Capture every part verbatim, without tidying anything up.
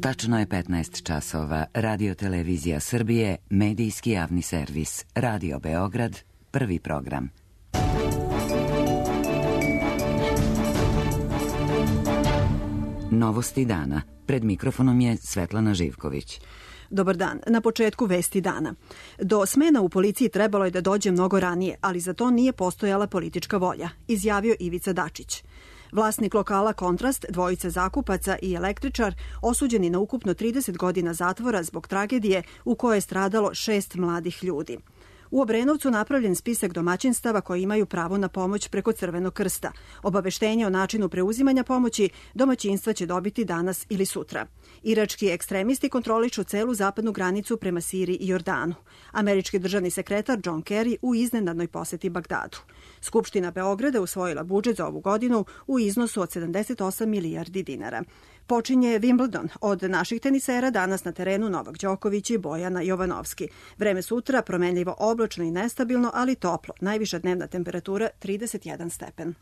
Tačno je petnaest časova. Radio Televizija Srbije, medijski javni servis. Radio Beograd, prvi program. Novosti dana. Pred mikrofonom je Svetlana Živković. Dobar dan. Na početku vesti dana. Do smena u policiji trebalo je da dođe mnogo ranije, ali za to nije postojala politička volja, izjavio Ivica Dačić. Vlasnik lokala Kontrast, dvojica zakupaca i električar osuđeni na ukupno trideset godina zatvora zbog tragedije u kojoj je stradalo šest mladih ljudi. U Obrenovcu napravljen spisak domaćinstava koji imaju pravo na pomoć preko Crvenog krsta. Obaveštenje o načinu preuzimanja pomoći domaćinstva će dobiti danas ili sutra. Irački ekstremisti kontrolišu celu zapadnu granicu prema Siriji i Jordanu. Američki državni sekretar John Kerry u iznenadnoj poseti Bagdadu. Skupština Beograda usvojila budžet za ovu godinu u iznosu od sedamdeset osam milijardi dinara. Počinje Wimbledon. Od naših tenisera danas na terenu Novak Đoković i Bojana Jovanovski. Vreme sutra promenljivo oblačno i nestabilno, ali toplo. Najviša dnevna temperatura trideset jedan stepen.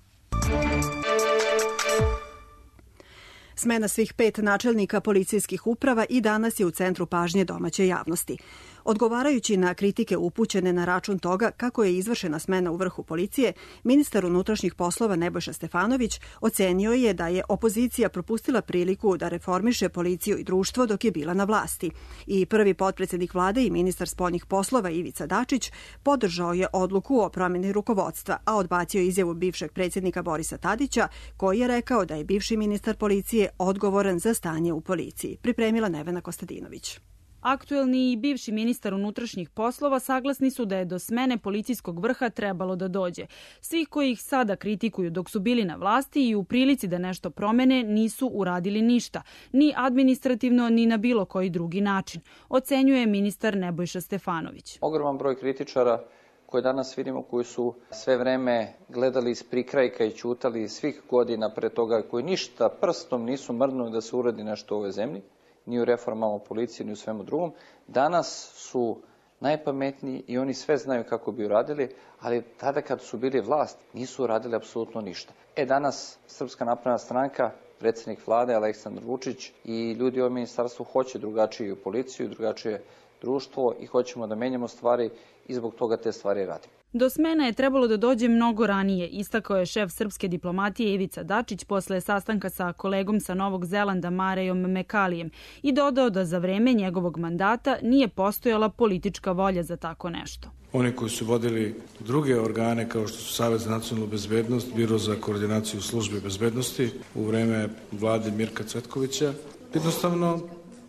Smena svih pet načelnika policijskih uprava i danas je u centru pažnje domaće javnosti. Odgovarajući na kritike upućene na račun toga kako je izvršena smena u vrhu policije, ministar unutrašnjih poslova Nebojša Stefanović ocenio je da je opozicija propustila priliku da reformiše policiju i društvo dok je bila na vlasti. I prvi potpredsednik vlade i ministar spoljnih poslova Ivica Dačić podržao je odluku o promeni rukovodstva, a odbacio izjavu bivšeg predsjednika Borisa Tadića, koji je rekao da je bivši ministar policije odgovoran za stanje u policiji. Pripremila Nevena Kostadinović. Aktuelni i bivši ministar unutrašnjih poslova saglasni su da je do smene policijskog vrha trebalo da dođe. Svi koji ih sada kritikuju dok su bili na vlasti i u prilici da nešto promene nisu uradili ništa, ni administrativno ni na bilo koji drugi način, ocenjuje ministar Nebojša Stefanović. Ogroman broj kritičara koje danas vidimo, koji su sve vreme gledali iz prikrajka i ćutali svih godina pre toga, koji ništa prstom nisu mrdnuli da se uradi nešto u ovoj zemlji, ni u reformama policije, ni u svemu drugom. Danas su najpametniji i oni sve znaju kako bi uradili, ali tada kad su bili vlast nisu uradili apsolutno ništa. E danas Srpska napredna stranka, predsjednik vlade Aleksandar Vučić i ljudi u ministarstvu hoće drugačiju policiju, drugačije društvo i hoćemo da menjamo stvari i zbog toga te stvari radimo. Do smena je trebalo da dođe mnogo ranije, istakao je šef srpske diplomatije Ivica Dačić posle sastanka sa kolegom sa Novog Zelanda Marejom Mekalijem i dodao da za vreme njegovog mandata nije postojala politička volja za tako nešto. Oni koji su vodili druge organe kao što su Savet za nacionalnu bezbednost, Biro za koordinaciju službe bezbednosti u vreme vlade Mirka Cvetkovića, jednostavno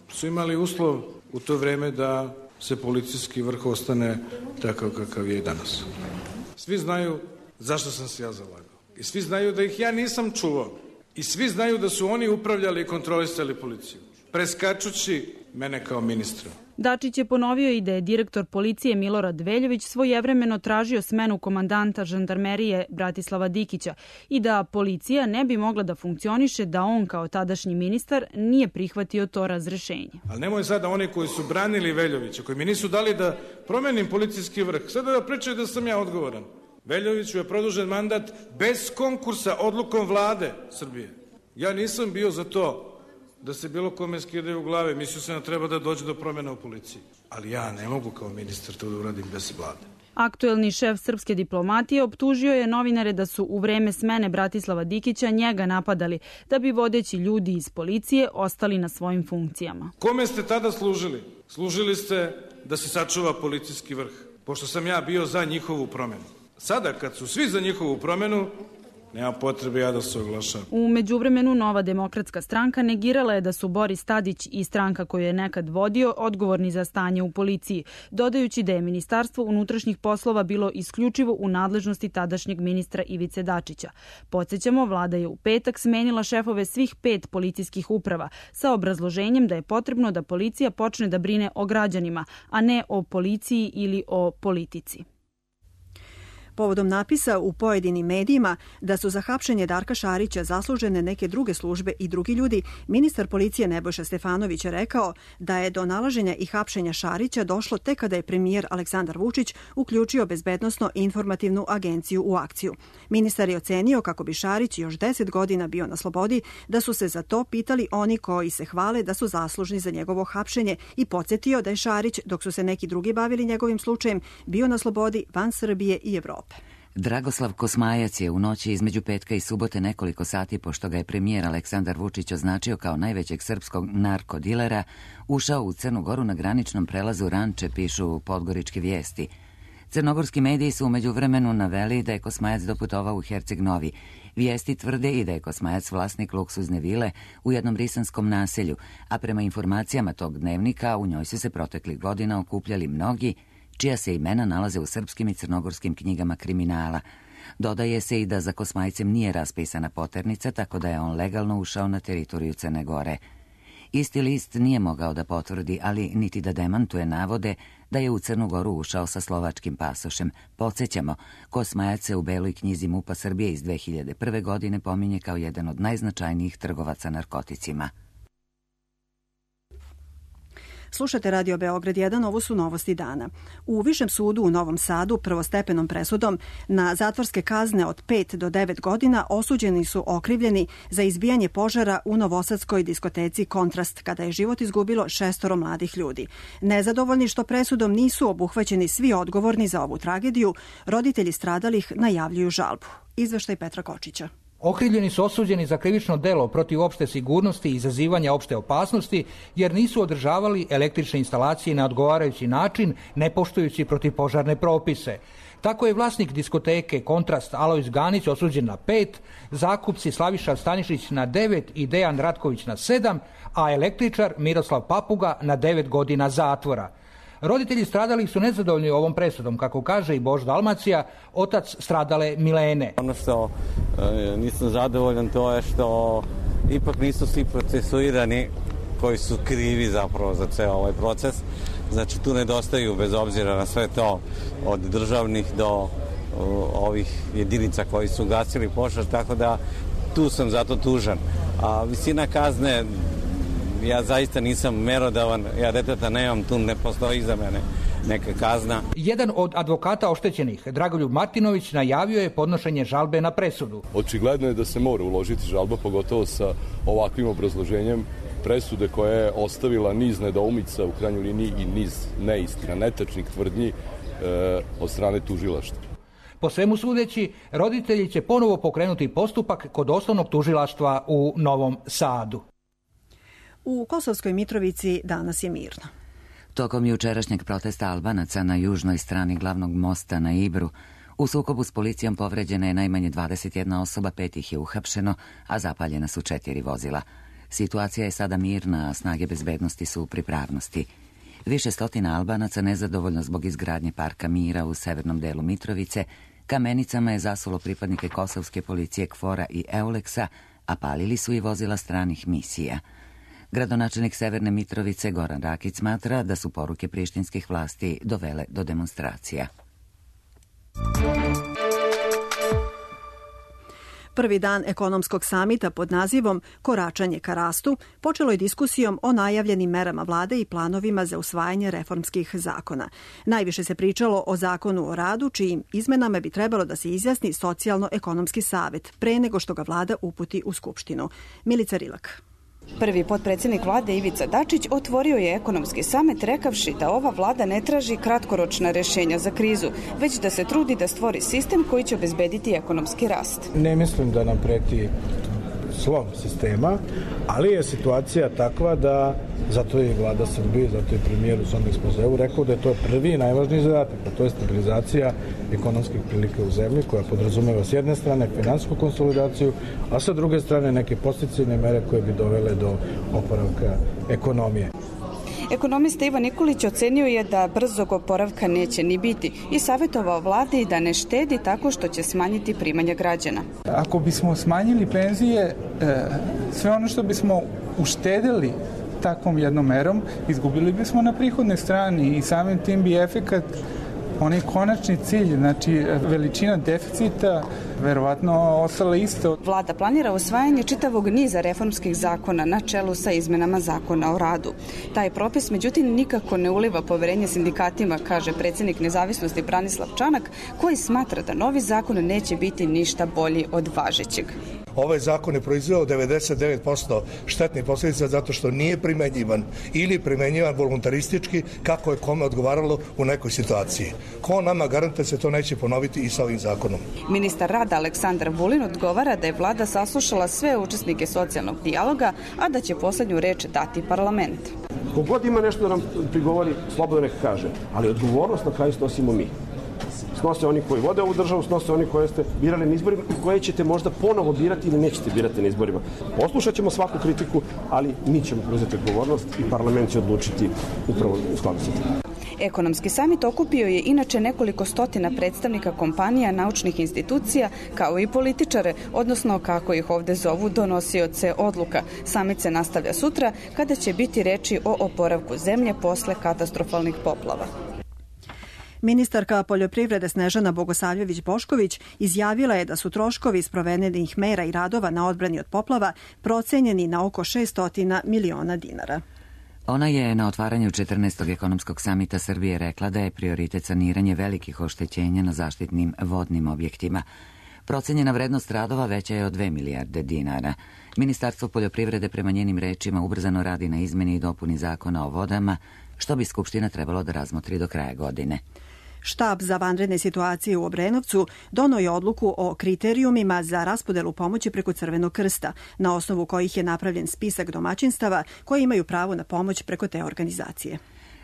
su imali uslov u to vreme da se policijski vrh ostane takav kakav je i danas. Svi znaju zašto sam se ja zalagao. I svi znaju da ih ja nisam čuvao. I svi znaju da su oni upravljali i kontrolisali policiju, preskačući mene kao ministra. Dačić je ponovio i da je direktor policije Milorad Veljović svojevremeno tražio smenu komandanta žandarmerije Bratislava Dikića i da policija ne bi mogla da funkcioniše da on kao tadašnji ministar nije prihvatio to razrešenje. Ali nemoj sada oni koji su branili Veljovića, koji mi nisu dali da promenim policijski vrh, sada da pričaju da sam ja odgovoran. Veljoviću je produžen mandat bez konkursa odlukom vlade Srbije. Ja nisam bio za to da se bilo kome skidaju u glave, mislio sam da treba da dođe do promjena u policiji. Ali ja ne mogu kao ministar to da uradim bez vlade. Aktuelni šef srpske diplomatije optužio je novinare da su u vreme smene Bratislava Dikića njega napadali, da bi vodeći ljudi iz policije ostali na svojim funkcijama. Kome ste tada služili? Služili ste da se sačuva policijski vrh, pošto sam ja bio za njihovu promjenu. Sada kad su svi za njihovu promjenu, nema potrebe ja da se oglašam. U međuvremenu Nova demokratska stranka negirala je da su Boris Tadić i stranka koju je nekad vodio odgovorni za stanje u policiji, dodajući da je Ministarstvo unutrašnjih poslova bilo isključivo u nadležnosti tadašnjeg ministra Ivice Dačića. Podsjećamo, vlada je u petak smenila šefove svih pet policijskih uprava sa obrazloženjem da je potrebno da policija počne da brine o građanima, a ne o policiji ili o politici. Povodom napisa u pojedinim medijima da su za hapšenje Darka Šarića zaslužene neke druge službe i drugi ljudi, ministar policije Nebojša Stefanović je rekao da je do nalaženja i hapšenja Šarića došlo tek kada je premijer Aleksandar Vučić uključio Bezbednosno informativnu agenciju u akciju. Ministar je ocenio kako bi Šarić još deset godina bio na slobodi da su se za to pitali oni koji se hvale da su zaslužni za njegovo hapšenje i podsjetio da je Šarić, dok su se neki drugi bavili njegovim slučajem, bio na slobodi van Srbije i Evrope. Dragoslav Kosmajac je u noći između petka i subote nekoliko sati pošto ga je premijer Aleksandar Vučić označio kao najvećeg srpskog narkodilera, ušao u Crnu Goru na graničnom prelazu Ranče, pišu Podgoričke vijesti. Crnogorski mediji su umeđu vremenu naveli da je Kosmajac doputovao u Herceg Novi. Vijesti tvrde i da je Kosmajac vlasnik luksuzne vile u jednom risanskom naselju, a prema informacijama tog dnevnika u njoj su se proteklih godina okupljali mnogi čija se imena nalaze u srpskim i crnogorskim knjigama kriminala. Dodaje se i da za Kosmajcem nije raspisana poternica, tako da je on legalno ušao na teritoriju Crne Gore. Isti list nije mogao da potvrdi, ali niti da demantuje navode da je u Crnu Goru ušao sa slovačkim pasošem. Podsjećamo, Kosmajac se u Beloj knjizi MUP-a Srbije iz dve hiljade prve. godine pominje kao jedan od najznačajnijih trgovaca narkoticima. Slušate Radio Beograd jedan, ovo su novosti dana. U Višem sudu u Novom Sadu prvostepenom presudom na zatvorske kazne od pet do devet godina osuđeni su okrivljeni za izbijanje požara u novosadskoj diskoteci Kontrast, kada je život izgubilo šestoro mladih ljudi. Nezadovoljni što presudom nisu obuhvaćeni svi odgovorni za ovu tragediju, roditelji stradalih najavljuju žalbu. Izveštaj Petra Kočića. Okrivljeni su osuđeni za krivično delo protiv opšte sigurnosti i izazivanja opšte opasnosti jer nisu održavali električne instalacije na odgovarajući način, ne poštujući protivpožarne propise. Tako je vlasnik diskoteke Kontrast Alojz Ganić osuđen na pet, zakupci Slaviša Stanišić na devet i Dejan Ratković na sedam, a električar Miroslav Papuga na devet godina zatvora. Roditelji stradalih su nezadovoljni ovom presudom, kako kaže i Bož Dalmacija, otac stradale Milene. Ono što e, nisam zadovoljan to je što ipak nisu svi procesuirani koji su krivi zapravo za ceo ovaj proces. Znači tu nedostaju, bez obzira na sve to, od državnih do o, ovih jedinica koji su gasili požar, tako da tu sam zato tužan. A visina kazne, ja zaista nisam merodavan, ja deteta nemam, tu ne postoji za mene neka kazna. Jedan od advokata oštećenih, Dragoljub Martinović, najavio je podnošenje žalbe na presudu. Očigledno je da se mora uložiti žalba, pogotovo sa ovakvim obrazloženjem presude koja je ostavila niz nedoumica, u krajnjoj liniji i niz neistina, netačnih tvrdnji e, od strane tužilaštva. Po svemu sudeći, roditelji će ponovo pokrenuti postupak kod osnovnog tužilaštva u Novom Sadu. U Kosovskoj Mitrovici danas je mirno. Tokom jučerašnjeg protesta Albanaca na južnoj strani glavnog mosta na Ibru, u sukobu s policijom povređena je najmanje dvadeset jedna osoba, pet ih je uhapšeno, a zapaljena su četiri vozila. Situacija je sada mirna, a snage bezbednosti su u pripravnosti. Više stotina Albanaca, nezadovoljno zbog izgradnje parka mira u severnom delu Mitrovice, kamenicama je zasulo pripadnike kosovske policije Kfora i Euleksa, a palili su i vozila stranih misija. Gradonačelnik Severne Mitrovice Goran Rakić smatra da su poruke prištinskih vlasti dovele do demonstracija. Prvi dan ekonomskog samita pod nazivom Koračanje ka rastu počelo je diskusijom o najavljenim merama vlade i planovima za usvajanje reformskih zakona. Najviše se pričalo o zakonu o radu, čijim izmenama bi trebalo da se izjasni Socijalno-ekonomski savet pre nego što ga vlada uputi u Skupštinu. Milica Rilak. Prvi potpredsjednik vlade Ivica Dačić otvorio je ekonomski samet rekavši da ova vlada ne traži kratkoročna rješenja za krizu, već da se trudi da stvori sistem koji će obezbediti ekonomski rast. Ne mislim da nam preti slom sistema, ali je situacija takva da zato je vlada Srbije, zato je premijer u svom ekspozeu rekao da je to prvi i najvažniji zadatak, a to je stabilizacija ekonomskih prilika u zemlji koja podrazumeva s jedne strane finansijsku konsolidaciju, a sa druge strane neke podsticajne mere koje bi dovele do oporavka ekonomije. Ekonomista Ivan Nikolić ocenio je da brzog oporavka neće ni biti i savjetovao vladi da ne štedi tako što će smanjiti primanja građana. Ako bismo smanjili penzije, sve ono što bismo uštedili takvom jednom merom, izgubili bismo na prihodnoj strani i samim tim bi efekat onaj konačni cilj, znači veličina deficita, verovatno ostala isto. Vlada planira usvajanje čitavog niza reformskih zakona na čelu sa izmenama zakona o radu. Taj propis, međutim, nikako ne uliva poverenje sindikatima, kaže predsjednik Nezavisnosti Branislav Čanak, koji smatra da novi zakon neće biti ništa bolji od važećeg. Ovaj zakon je proizveo devedeset devet posto štetnih posljedica zato što nije primenjivan ili primenjivan voluntaristički kako je kome odgovaralo u nekoj situaciji. Ko nama garantuje se to neće ponoviti i sa ovim zakonom? Ministar rada Aleksandar Vulin odgovara da je vlada saslušala sve učesnike socijalnog dijaloga, a da će poslednju reč dati parlament. Kogod ima nešto da nam prigovori, slobodno neka kaže, ali odgovornost na kraju snosimo mi. Snose oni koji vode ovu državu, snose oni koje ste birali na izborima i koje ćete možda ponovo birati ili nećete birati na izborima. Poslušat ćemo svaku kritiku, ali mi ćemo preuzeti odgovornost i parlament će odlučiti upravo u skladu sa tim. Ekonomski samit okupio je inače nekoliko stotina predstavnika kompanija, naučnih institucija, kao i političare, odnosno, kako ih ovde zovu, donosioce odluka. Samit se nastavlja sutra, kada će biti reči o oporavku zemlje posle katastrofalnih poplava. Ministarka poljoprivrede Snežana Bogosavljević-Bošković izjavila je da su troškovi sprovedenih mera i radova na odbrani od poplava procenjeni na oko šesto miliona dinara. Ona je na otvaranju četrnaestog ekonomskog samita Srbije rekla da je prioritet saniranje velikih oštećenja na zaštitnim vodnim objektima. Procenjena vrednost radova veća je od dve milijarde dinara. Ministarstvo poljoprivrede prema njenim rečima ubrzano radi na izmeni i dopuni zakona o vodama, što bi Skupština trebalo da razmotri do kraja godine. Štab za vanredne situacije u Obrenovcu doneo je odluku o kriterijumima za raspodelu pomoći preko Crvenog krsta, na osnovu kojih je napravljen spisak domaćinstava koji imaju pravo na pomoć preko te organizacije.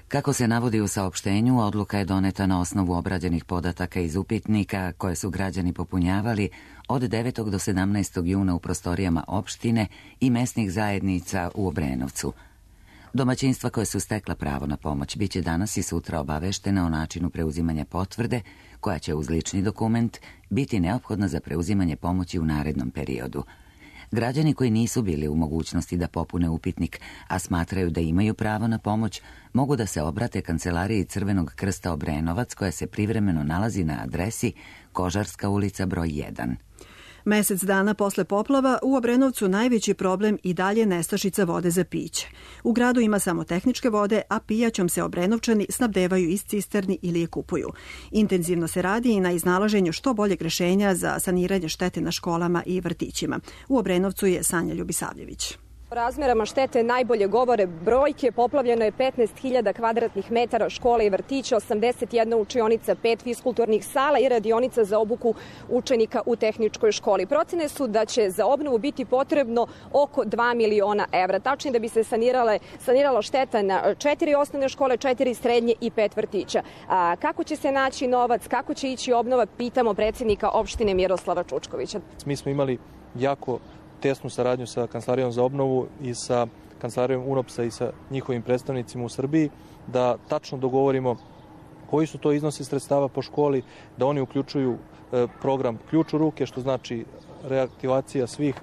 Kako se navodi u saopštenju, odluka je doneta na osnovu obrađenih podataka iz upitnika koje su građani popunjavali od devetog do sedamnaestog juna u prostorijama opštine i mesnih zajednica u Obrenovcu. Domaćinstva koje su stekla pravo na pomoć biće danas i sutra obaveštena o načinu preuzimanja potvrde, koja će uz lični dokument biti neophodna za preuzimanje pomoći u narednom periodu. Građani koji nisu bili u mogućnosti da popune upitnik, a smatraju da imaju pravo na pomoć, mogu da se obrate Kancelariji Crvenog krsta Obrenovac, koja se privremeno nalazi na adresi Kožarska ulica broj jedan. Mesec dana posle poplava u Obrenovcu najveći problem i dalje nestašica vode za piće. U gradu ima samo tehničke vode, a pijaćom se Obrenovčani snabdevaju iz cisterni ili je kupuju. Intenzivno se radi i na iznalaženju što boljeg rešenja za saniranje štete na školama i vrtićima. U Obrenovcu je Sanja Ljubisavljević. O razmerama štete najbolje govore brojke. Poplavljeno je petnaest hiljada kvadratnih metara škola i vrtića, osamdeset jedna učionica, pet fiskulturnih sala i radionica za obuku učenika u tehničkoj školi. Procene su da će za obnovu biti potrebno oko dva miliona evra. Tačnije da bi se sanirale, sanirala šteta na četiri osnovne škole, četiri srednje i pet vrtića. A kako će se naći novac, kako će ići obnova, pitamo predsjednika opštine Miroslava Čučkovića. Mi smo imali jako tesnu saradnju sa Kancelarijom za obnovu i sa Kancelarijom UNOPS-a i sa njihovim predstavnicima u Srbiji, da tačno dogovorimo koji su to iznosi sredstava po školi, da oni uključuju program Ključ u ruke, što znači reaktivacija svih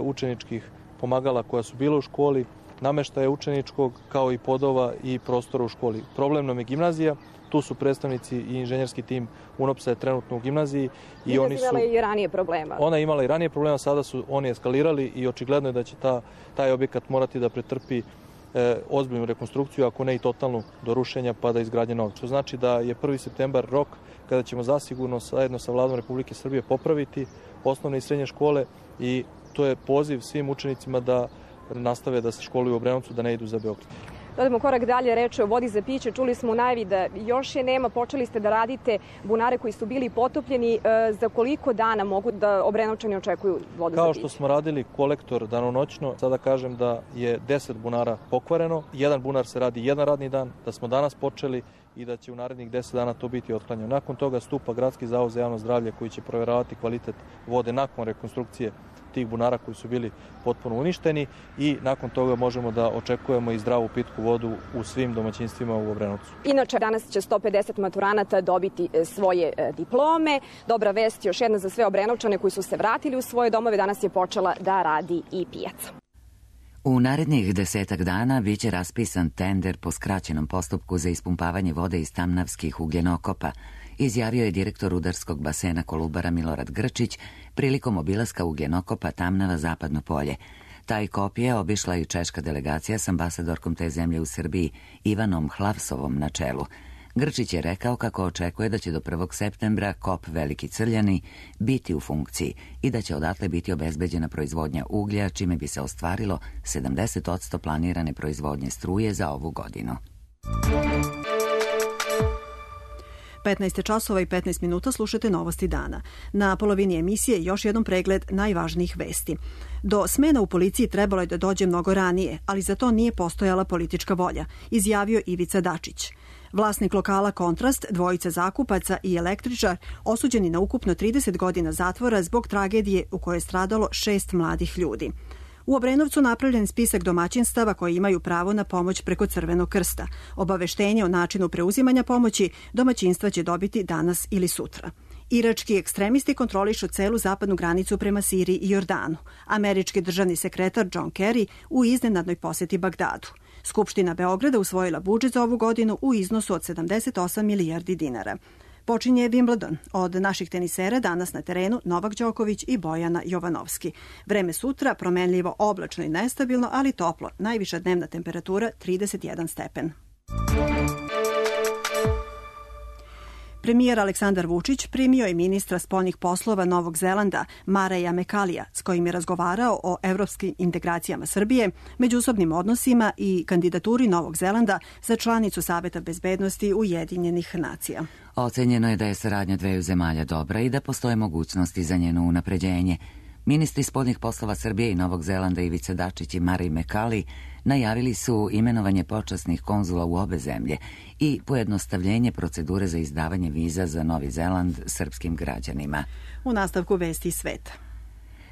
učeničkih pomagala koja su bila u školi, nameštaja učeničkog kao i podova i prostora u školi. Problem nam je gimnazija. Tu su predstavnici i inženjerski tim UNOPS-a je trenutno u gimnaziji. I oni su imala i ranije problema. Ona je imala i ranije problema, sada su oni eskalirali i očigledno je da će ta, taj objekat morati da pretrpi e, ozbiljnu rekonstrukciju, ako ne i totalnu do rušenja pa da izgradnje novog. Što znači da je prvi septembar rok kada ćemo zasigurno zajedno sa Vladom Republike Srbije popraviti osnovne i srednje škole i to je poziv svim učenicima da nastave da se školuju u Obrenovcu, da ne idu za Beograd. Dodamo korak dalje, reč o vodi za piće. Čuli smo u najavi da još je nema, počeli ste da radite bunare koji su bili potopljeni. Za koliko dana mogu da Obrenovčani očekuju vodu Kao za piće? Kao što smo radili kolektor danonoćno, sada kažem da je deset bunara pokvareno. Jedan bunar se radi jedan radni dan, da smo danas počeli i da će u narednih deset dana to biti otklanjeno. Nakon toga stupa Gradski zavod za javno zdravlje koji će provjeravati kvalitet vode nakon rekonstrukcije tih bunara koji su bili potpuno uništeni i nakon toga možemo da očekujemo i zdravu pitku vodu u svim domaćinstvima u Obrenovcu. Inače, danas će sto pedeset maturanata dobiti svoje diplome. Dobra vest još jedna za sve Obrenovčane koji su se vratili u svoje domove. Danas je počela da radi i pijaca. U narednih desetak dana biće raspisan tender po skraćenom postupku za ispumpavanje vode iz tamnavskih ugljenokopa, izjavio je direktor rudarskog basena Kolubara Milorad Grčić prilikom obilaska ugljenokopa Tamnava Zapadno polje. Taj kop je obišla i češka delegacija s ambasadorkom te zemlje u Srbiji Ivanom Hlavsovom na čelu. Grčić je rekao kako očekuje da će do prvog septembra kop Veliki Crljani biti u funkciji i da će odatle biti obezbeđena proizvodnja uglja, čime bi se ostvarilo sedamdeset posto planirane proizvodnje struje za ovu godinu. petnaest časova i petnaest minuta slušate Novosti dana. Na polovini emisije još jedan pregled najvažnijih vesti. Do smena u policiji trebalo je da dođe mnogo ranije, ali za to nije postojala politička volja, izjavio Ivica Dačić. Vlasnik lokala Kontrast, dvojica zakupaca i električar osuđeni na ukupno trideset godina zatvora zbog tragedije u kojoj je stradalo šest mladih ljudi. U Obrenovcu napravljen spisak domaćinstava koji imaju pravo na pomoć preko Crvenog krsta. Obaveštenje o načinu preuzimanja pomoći domaćinstva će dobiti danas ili sutra. Irački ekstremisti kontrolišu celu zapadnu granicu prema Siriji i Jordanu. Američki državni sekretar John Kerry u iznenadnoj poseti Bagdadu. Skupština Beograda usvojila budžet za ovu godinu u iznosu od sedamdeset osam milijardi dinara. Počinje Wimbledon. Od naših tenisera danas na terenu Novak Đoković i Bojana Jovanovski. Vreme sutra promenljivo, oblačno i nestabilno, ali toplo. Najviša dnevna temperatura trideset jedan stepen. Premijer Aleksandar Vučić primio je ministra spoljnih poslova Novog Zelanda Mareja Mekalija, s kojim je razgovarao o evropskim integracijama Srbije, međusobnim odnosima i kandidaturi Novog Zelanda za članicu Saveta bezbednosti Ujedinjenih nacija. Ocenjeno je da je saradnja dveju zemalja dobra i da postoje mogućnosti za njeno unapređenje. Ministri spoljnih poslova Srbije i Novog Zelanda Ivica Dačić i Marij Mekali najavili su imenovanje počasnih konzula u obe zemlje i pojednostavljenje procedure za izdavanje viza za Novi Zeland srpskim građanima. U nastavku vesti sveta.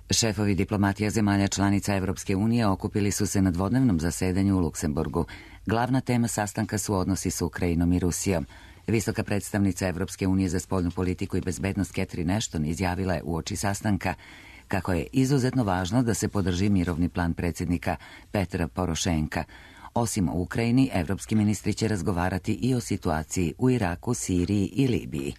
Šefovi diplomatija zemalja članica Evropske unije okupili su se na dvodnevnom zasedanju u Luksemburgu. Glavna tema sastanka su odnosi s Ukrajinom i Rusijom. Visoka predstavnica Evropske unije za spoljnu politiku i bezbednost Catherine Ashton izjavila je uoči sastanka kako je izuzetno važno da se podrži mirovni plan predsjednika Petra Porošenka. Osim o Ukrajini, evropski ministri će razgovarati i o situaciji u Iraku, Siriji i Libiji.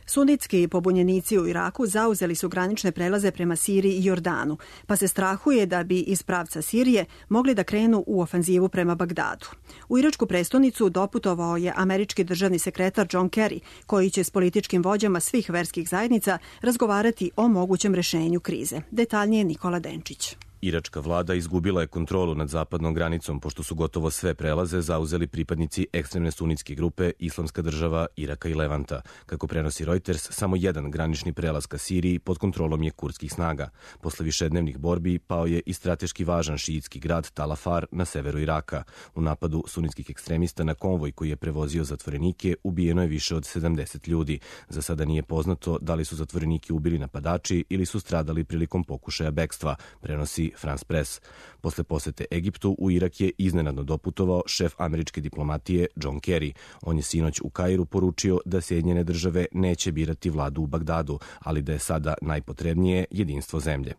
Sunitski pobunjenici u Iraku zauzeli su granične prelaze prema Siriji i Jordanu, pa se strahuje da bi iz pravca Sirije mogli da krenu u ofanzivu prema Bagdadu. U iračku prestonicu doputovao je američki državni sekretar John Kerry, koji će s političkim vođama svih verskih zajednica razgovarati o mogućem rešenju krize. Detaljnije Nikola Denčić. Iračka vlada izgubila je kontrolu nad zapadnom granicom, pošto su gotovo sve prelaze zauzeli pripadnici ekstremne sunitske grupe Islamska država Iraka i Levanta. Kako prenosi Reuters, samo jedan granični prelaz ka Siriji pod kontrolom je kurdskih snaga. Posle višednevnih borbi pao je i strateški važan šiitski grad Tal Afar na severu Iraka. U napadu sunitskih ekstremista na konvoj koji je prevozio zatvorenike ubijeno je više od sedamdeset ljudi. Za sada nije poznato da li su zatvorenike ubili napadači ili su stradali prilikom pokušaja bekstva, prenosi France Press. Posle posete Egiptu, u Irak je iznenadno doputovao šef američke diplomatije John Kerry. On je sinoć u Kairu poručio da Sjedinjene države neće birati vladu u Bagdadu, ali da je sada najpotrebnije jedinstvo zemlje.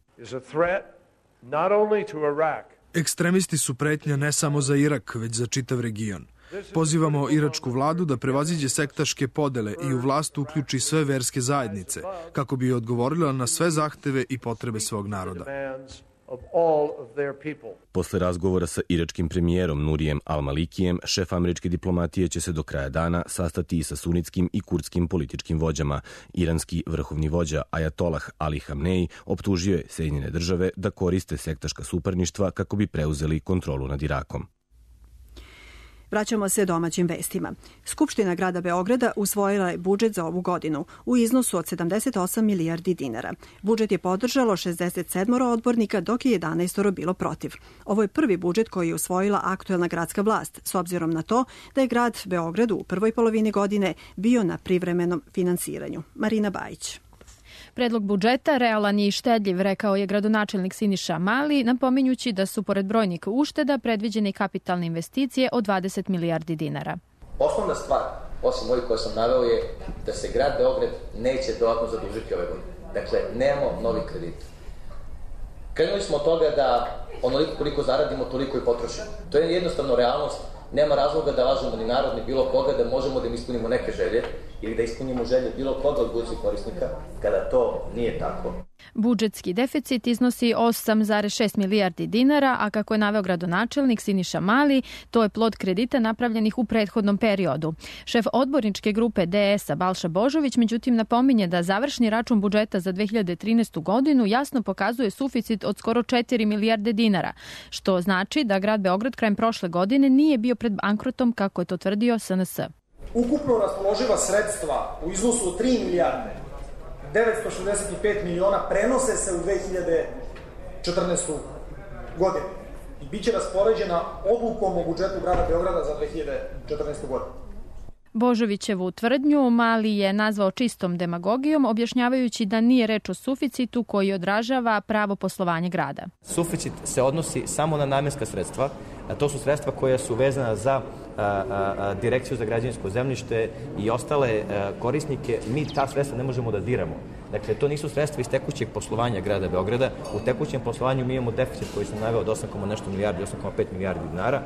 Ekstremisti su pretnja ne samo za Irak, već za čitav region. Pozivamo iračku vladu da prevaziđe sektaške podele i u vlast uključi sve verske zajednice, kako bi odgovorila na sve zahteve i potrebe svog naroda. Posle razgovora sa iračkim premijerom Nurijem Al-Malikijem, šef američke diplomatije će se do kraja dana sastati i sa sunitskim i kurdskim političkim vođama. Iranski vrhovni vođa Ajatolah Ali Hamnej optužio je Sjedinjene države da koriste sektaška suparništva kako bi preuzeli kontrolu nad Irakom. Vraćamo se domaćim vestima. Skupština grada Beograda usvojila je budžet za ovu godinu u iznosu od sedamdeset osam milijardi dinara. Budžet je podržalo šezdeset sedam odbornika, dok je jedanaest bilo protiv. Ovo je prvi budžet koji je usvojila aktuelna gradska vlast, s obzirom na to da je grad Beograd u prvoj polovini godine bio na privremenom finansiranju. Marina Bajić. Predlog budžeta realan je i štedljiv, rekao je gradonačelnik Siniša Mali, napominjući da su pored brojnih ušteda predviđene i kapitalne investicije od dvadeset milijardi dinara. Osnovna stvar, osim ovih koje sam naveo, je da se grad Beograd neće dodatno zadužiti ove godine. Dakle, nemamo novi kredit. Krenuli smo od toga da onoliko koliko zaradimo, toliko i potrošimo. To je jednostavno realnost. Nema razloga da lažemo ni narod, ni bilo koga, da možemo da im ispunimo neke želje ili da ispunimo želje bilo koga od budućih korisnika, kada to nije tako. Budžetski deficit iznosi osam zarez šest milijardi dinara, a kako je naveo gradonačelnik Siniša Mali, to je plod kredita napravljenih u prethodnom periodu. Šef odborničke grupe D S-a Balša Božović međutim napominje da završni račun budžeta za dve hiljade trinaestu godinu jasno pokazuje suficit od skoro četiri milijarde dinara, što znači da grad Beograd krajem prošle godine nije bio pred bankrotom kako je to tvrdio S N S. Ukupno raspoloživa sredstva u iznosu od tri milijarde devetsto šezdeset pet miliona prenose se u dve hiljade četrnaestu godinu i bit će raspoređena odlukom o budžetu grada Beograda za dve hiljade četrnaestu godinu. Božovićevu tvrdnju Mali je nazvao čistom demagogijom, objašnjavajući da nije reč o suficitu koji odražava pravo poslovanje grada. Suficit se odnosi samo na namenska sredstva, a to su sredstva koja su vezana za a, a, a, Direkciju za građevinsko zemljište i ostale a, korisnike. Mi ta sredstva ne možemo da diramo. Dakle, to nisu sredstva iz tekućeg poslovanja grada Beograda. U tekućem poslovanju mi imamo deficit koji sam naveo od osam zarez nešto milijardi, osam zarez pet milijardi dinara.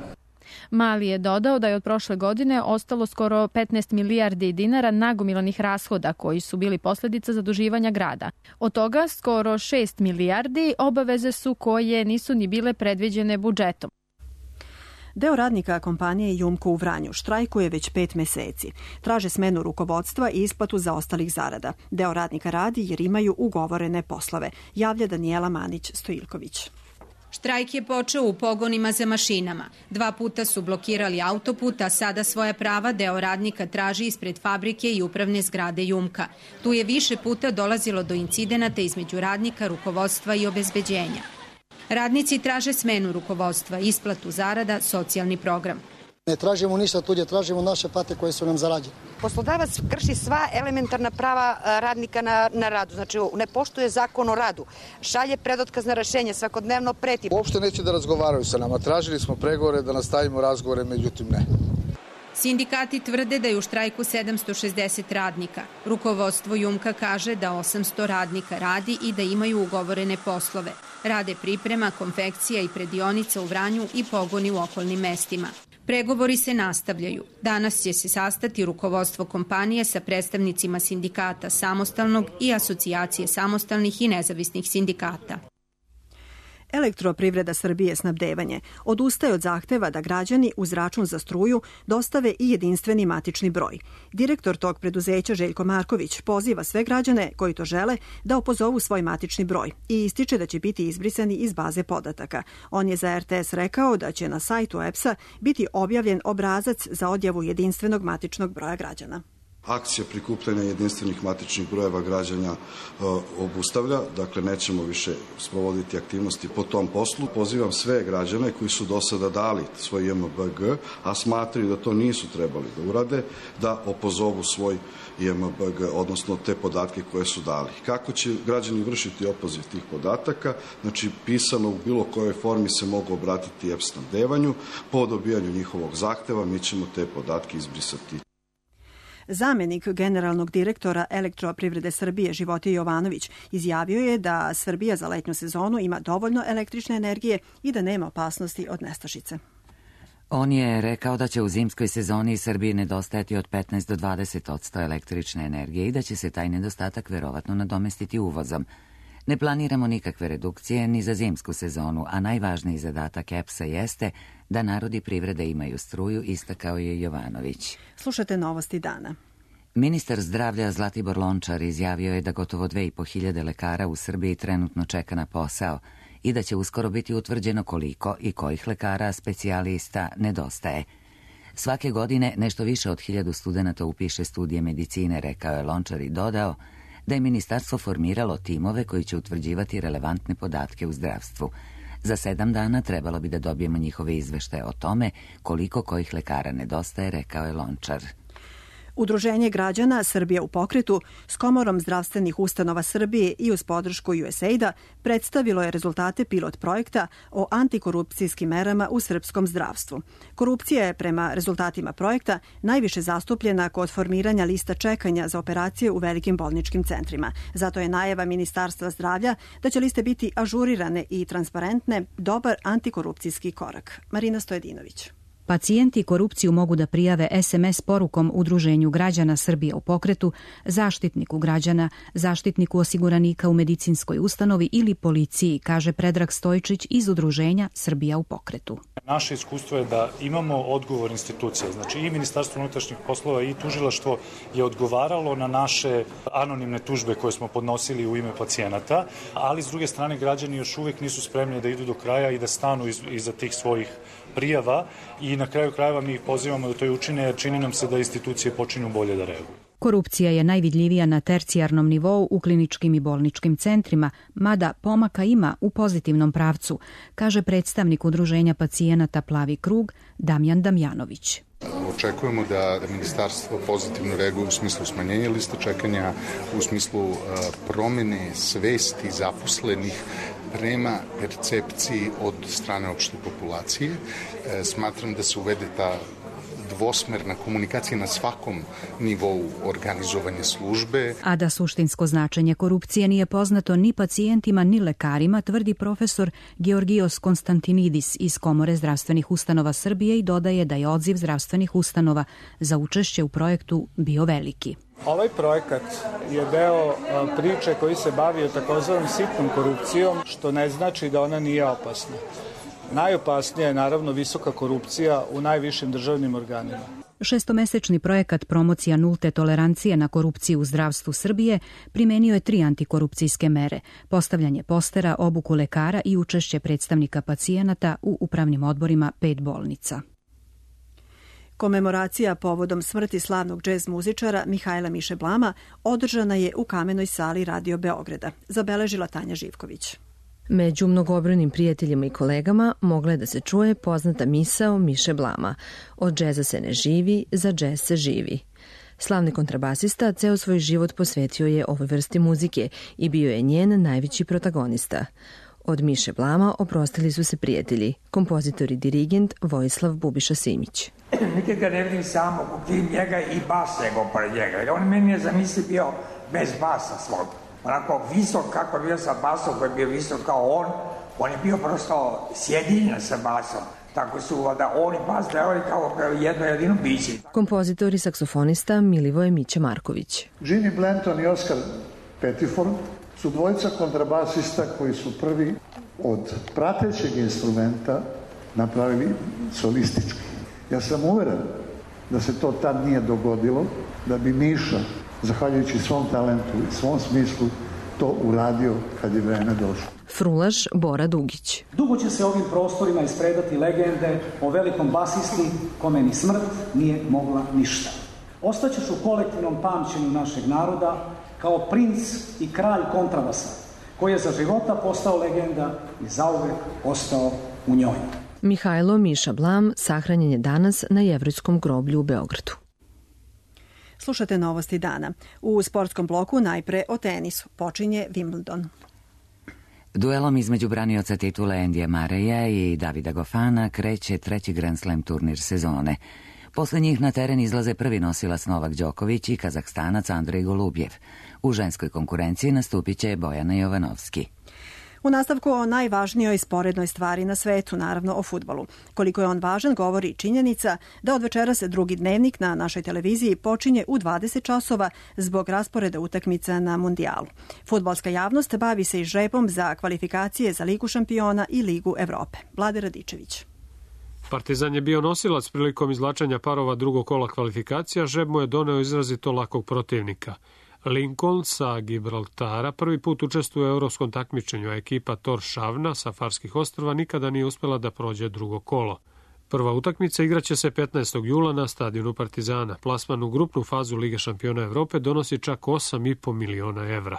Mali je dodao da je od prošle godine ostalo skoro petnaest milijardi dinara nagomilanih rashoda koji su bili posljedica zaduživanja grada. Od toga skoro šest milijardi obaveze su koje nisu ni bile predviđene budžetom. Deo radnika kompanije Jumko u Vranju štrajkuje već pet meseci. Traže smenu rukovodstva i isplatu zaostalih zarada. Deo radnika radi jer imaju ugovorene poslove, javlja Danijela Manić-Stojilković. Štrajk je počeo u pogonima za mašinama. Dva puta su blokirali autoput, a sada svoja prava deo radnika traži ispred fabrike i upravne zgrade Jumka. Tu je više puta dolazilo do incidenata između radnika, rukovodstva i obezbeđenja. Radnici traže smenu rukovodstva, isplatu zarada, socijalni program. Ne tražimo ništa tuđe, tražimo naše plate koje su nam zarađene. Poslodavac krši sva elementarna prava radnika na, na radu, znači ne poštuje zakon o radu, šalje predotkazna rešenja, svakodnevno preti. Uopšte neće da razgovaraju sa nama, tražili smo pregovore da nastavimo razgovore, međutim ne. Sindikati tvrde da je u štrajku sedamsto šezdeset radnika. Rukovodstvo Jumka kaže da osamsto radnika radi i da imaju ugovorene poslove. Rade priprema, konfekcija i predionica u Vranju i pogoni u okolnim mestima. Pregovori se nastavljaju. Danas će se sastati rukovodstvo kompanije sa predstavnicima sindikata Samostalnog i Asocijacije samostalnih i nezavisnih sindikata. Elektroprivreda Srbije snabdevanje odustaje od zahteva da građani uz račun za struju dostave i jedinstveni matični broj. Direktor tog preduzeća Željko Marković poziva sve građane koji to žele da opozovu svoj matični broj i ističe da će biti izbrisani iz baze podataka. On je za R T S rekao da će na sajtu E P S-a biti objavljen obrazac za odjavu jedinstvenog matičnog broja građana. Akcija prikupljanja jedinstvenih matičnih brojeva građana e, obustavlja, dakle nećemo više sprovoditi aktivnosti po tom poslu. Pozivam sve građane koji su do sada dali svoj J M B G, a smatraju da to nisu trebali da urade, da opozovu svoj J M B G, odnosno te podatke koje su dali. Kako će građani vršiti opoziv tih podataka? Znači, pisano u bilo kojoj formi se mogu obratiti E P S snabdevanju. Po dobijanju njihovog zahteva mi ćemo te podatke izbrisati. Zamenik generalnog direktora Elektroprivrede Srbije Životije Jovanović izjavio je da Srbija za letnju sezonu ima dovoljno električne energije i da nema opasnosti od nestašice. On je rekao da će u zimskoj sezoni Srbiji nedostajati od petnaest do dvadeset posto električne energije i da će se taj nedostatak verovatno nadomestiti uvozom. Ne planiramo nikakve redukcije ni za zimsku sezonu, a najvažniji zadatak E P S-a jeste da narodi privrede imaju struju, istakao je Jovanović. Slušate novosti dana. Ministar zdravlja Zlatibor Lončar izjavio je da gotovo dve i po hiljade lekara u Srbiji trenutno čeka na posao i da će uskoro biti utvrđeno koliko i kojih lekara specijalista nedostaje. Svake godine nešto više od hiljadu studenata upiše studije medicine, rekao je Lončar i dodao da je ministarstvo formiralo timove koji će utvrđivati relevantne podatke u zdravstvu. Za sedam dana trebalo bi da dobijemo njihove izveštaje o tome koliko kojih lekara nedostaje, rekao je Lončar. Udruženje građana Srbija u pokretu s Komorom zdravstvenih ustanova Srbije i uz podršku U S A I D-a predstavilo je rezultate pilot projekta o antikorupcijskim merama u srpskom zdravstvu. Korupcija je prema rezultatima projekta najviše zastupljena kod formiranja lista čekanja za operacije u velikim bolničkim centrima. Zato je najava Ministarstva zdravlja da će liste biti ažurirane i transparentne dobar antikorupcijski korak. Marina Stojedinović. Pacijenti korupciju mogu da prijave es em es porukom Udruženju građana Srbije u pokretu, zaštitniku građana, zaštitniku osiguranika u medicinskoj ustanovi ili policiji, kaže Predrag Stojčić iz Udruženja Srbija u pokretu. Naše iskustvo je da imamo odgovor institucija, znači i Ministarstvo unutrašnjih poslova i tužilaštvo je odgovaralo na naše anonimne tužbe koje smo podnosili u ime pacijenata, ali s druge strane građani još uvijek nisu spremni da idu do kraja i da stanu iz, iza tih svojih prijava i na kraju krajeva mi ih pozivamo da to i učine jer čini nam se da institucije počinju bolje da reaguju. Korupcija je najvidljivija na tercijarnom nivou u kliničkim i bolničkim centrima, mada pomaka ima u pozitivnom pravcu, kaže predstavnik Udruženja pacijenata Plavi krug Damjan Damjanović. Očekujemo da, da ministarstvo pozitivno reaguje u smislu smanjenja liste čekanja, u smislu uh, promjene svesti zaposlenih prema percepciji od strane opšte populacije. E, smatram da se uvede ta dvosmerna komunikacija na svakom nivou organizovanja službe. A da suštinsko značenje korupcije nije poznato ni pacijentima ni lekarima, tvrdi profesor Georgijos Konstantinidis iz Komore zdravstvenih ustanova Srbije i dodaje da je odziv zdravstvenih ustanova za učešće u projektu bio veliki. Ovaj projekat je deo priče koji se bavi takozvanom sitnom korupcijom, što ne znači da ona nije opasna. Najopasnija je naravno visoka korupcija u najvišim državnim organima. Šestomesečni projekat promocija nulte tolerancije na korupciju u zdravstvu Srbije primenio je tri antikorupcijske mere, postavljanje postera, obuku lekara i učešće predstavnika pacijenata u upravnim odborima pet bolnica. Komemoracija povodom smrti slavnog džez muzičara Mihajla Miše Blama održana je u Kamenoj sali Radio Beograda, zabeležila Tanja Živković. Među mnogobrojnim prijateljima i kolegama mogla je da se čuje poznata misao Miše Blama: od džeza se ne živi, za džez se živi. Slavni kontrabasista ceo svoj život posvetio je ovoj vrsti muzike i bio je njen najveći protagonista. Od Miše Blama oprostili su se prijatelji, kompozitor i dirigent Vojislav Bubiša Simić. Nikad ga ne vidim samog, ukrim njega i bas nego pored njega. On meni je zamisli bio bez basa svog. Onako visok kako je bio sa basom, koji je bio visok kao on, on je bio prosto sjedinjen sa basom. Tako su da on i bas delovali kao jedno jedino biće. Kompozitor i saksofonista Milivoje Mića Marković. Jimmy Blanton i Oscar Pettiford su dvojica kontrabasista koji su prvi od pratećeg instrumenta napravili solistički. Ja sam uveren da se to tad nije dogodilo, da bi Miša, zahvaljujući svom talentu i svom smislu, to uradio kad je vreme došlo. Frulaš Bora Dugić. Dugo će se ovim prostorima ispredati legende o velikom basisti kome ni smrt nije mogla ništa. Ostaćeš u kolektivnom pamćenju našeg naroda kao princ i kralj kontrabasa, koji je za života postao legenda i zauvek ostao u njoj. Mihajlo Miša Blam sahranjen je danas na Jevrejskom groblju u Beogradu. Slušate novosti dana. U sportskom bloku najpre o tenisu. Počinje Wimbledon. Duelom između branioca titule Endija Mareja i Davida Gofana kreće treći Grand Slam turnir sezone. Posle njih na teren izlaze prvi nosilac Novak Đoković i Kazahstanac Andrej Golubjev. U ženskoj konkurenciji nastupit će Bojana Jovanovski. U nastavku o najvažnijoj sporednoj stvari na svetu, naravno o fudbalu. Koliko je on važan govori činjenica da od večeras drugi dnevnik na našoj televiziji počinje u dvadeset časova zbog rasporeda utakmica na mundijalu. Fudbalska javnost bavi se i žrebom za kvalifikacije za Ligu šampiona i Ligu Evrope. Vlade Radičević. Partizan je bio nosilac prilikom izvlačenja parova drugog kola kvalifikacija, žreb mu je doneo izrazito lakog protivnika. Lincoln sa Gibraltara prvi put učestvuje u evropskom takmičenju, a ekipa Tórshavna sa Farskih ostrva nikada nije uspela da prođe drugo kolo. Prva utakmica igraće se petnaestog jula na stadionu Partizana. Plasman u grupnu fazu Lige šampiona Evrope donosi čak osam i po miliona evra.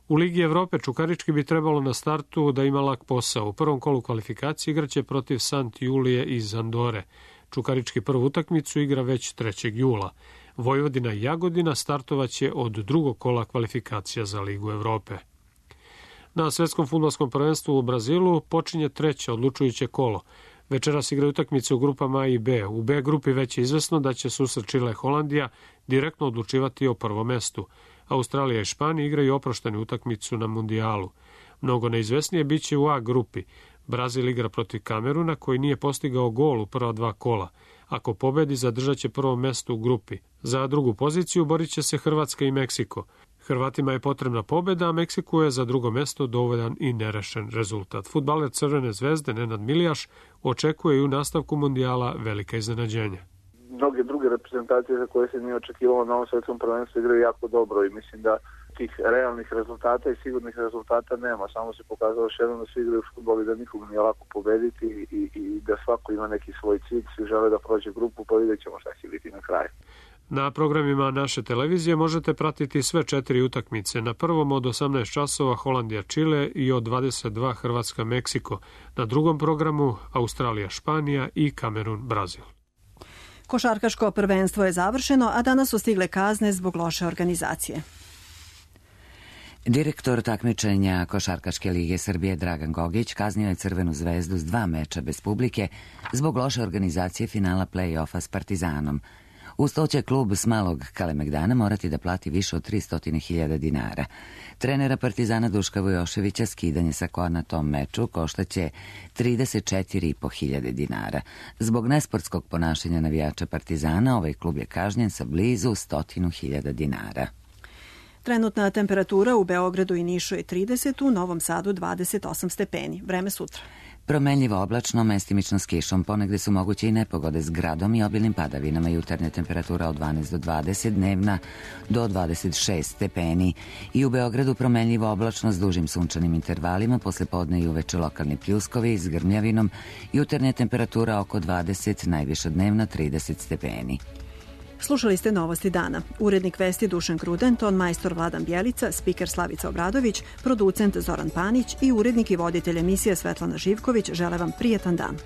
U Ligi Evrope Čukarički bi trebalo na startu da ima lak posao. U prvom kolu kvalifikacije igraće protiv Sant Julije iz Andore. Čukarički prvu utakmicu igra već trećeg jula. Vojvodina i Jagodina startovaće od drugog kola kvalifikacija za Ligu Evrope. Na svetskom fudbalskom prvenstvu u Brazilu počinje treće odlučujuće kolo. Večeras igraju utakmice u grupama A i B. U B grupi već je izvesno da će susret Čile Holandija direktno odlučivati o prvom mestu. Australija i Španija igraju oproštenu utakmicu na mundijalu. Mnogo neizvesnije biće u A grupi. Brazil igra protiv Kameruna koji nije postigao gol u prva dva kola. Ako pobedi, zadržat će prvo mesto u grupi. Za drugu poziciju borit će se Hrvatska i Meksiko. Hrvatima je potrebna pobeda, a Meksiku je za drugo mesto dovoljan i nerešen rezultat. Fudbaler Crvene zvezde Nenad Milijaš očekuje i u nastavku mundijala velika iznenađenja. Mnoge druge reprezentacije za koje se nije očekivalo na ovom svetskom prvenstvu igraju jako dobro i mislim da tih realnih rezultata i sigurnih rezultata nema. Samo se pokazalo još jednom da svi igraju fudbal i da nikog nije lako pobediti i, i da svako ima neki svoj cilj, svi žele da prođe grupu, pa vidjet ćemo šta će biti na kraju. Na programima naše televizije možete pratiti sve četiri utakmice. Na prvom od osamnaest časova Holandija-Čile i od dvadeset dva Hrvatska-Meksiko. Na drugom programu Australija-Španija i Kamerun-Brazil. Košarkaško prvenstvo je završeno, a danas su stigle kazne zbog loše organizacije. Direktor takmičenja Košarkaške lige Srbije Dragan Gogić kaznio je Crvenu zvezdu s dva meča bez publike zbog loše organizacije finala play-offa s Partizanom. Uz to će klub s Malog Kalemegdana morati da plati više od tristo hiljada dinara. Trenera Partizana Duška Vujoševića skidanje sa koa na tom meču koštaće trideset četiri i po hiljade dinara. Zbog nesportskog ponašanja navijača Partizana ovaj klub je kažnjen sa blizu stotinu hiljada dinara. Trenutna temperatura u Beogradu i Nišu je trideset, u Novom Sadu dvadeset osam stepeni. Vreme sutra. Promenljivo oblačno, mestimično s kišom, ponegde su moguće i nepogode s gradom i obilnim padavinama. Jutarnja temperatura od dvanaest do dvadeset, dnevna do dvadeset šest stepeni. I u Beogradu promenljivo oblačno s dužim sunčanim intervalima, posle podne i uveče lokalni pljuskovi s grmljavinom. Jutarnja temperatura oko dvadeset, najviša dnevna trideset stepeni. Slušali ste Novosti dana. Urednik vesti Dušan Kruden, ton majstor Vladan Bjelica, spiker Slavica Obradović, producent Zoran Panić i urednik i voditelj emisije Svetlana Živković žele vam prijetan dan.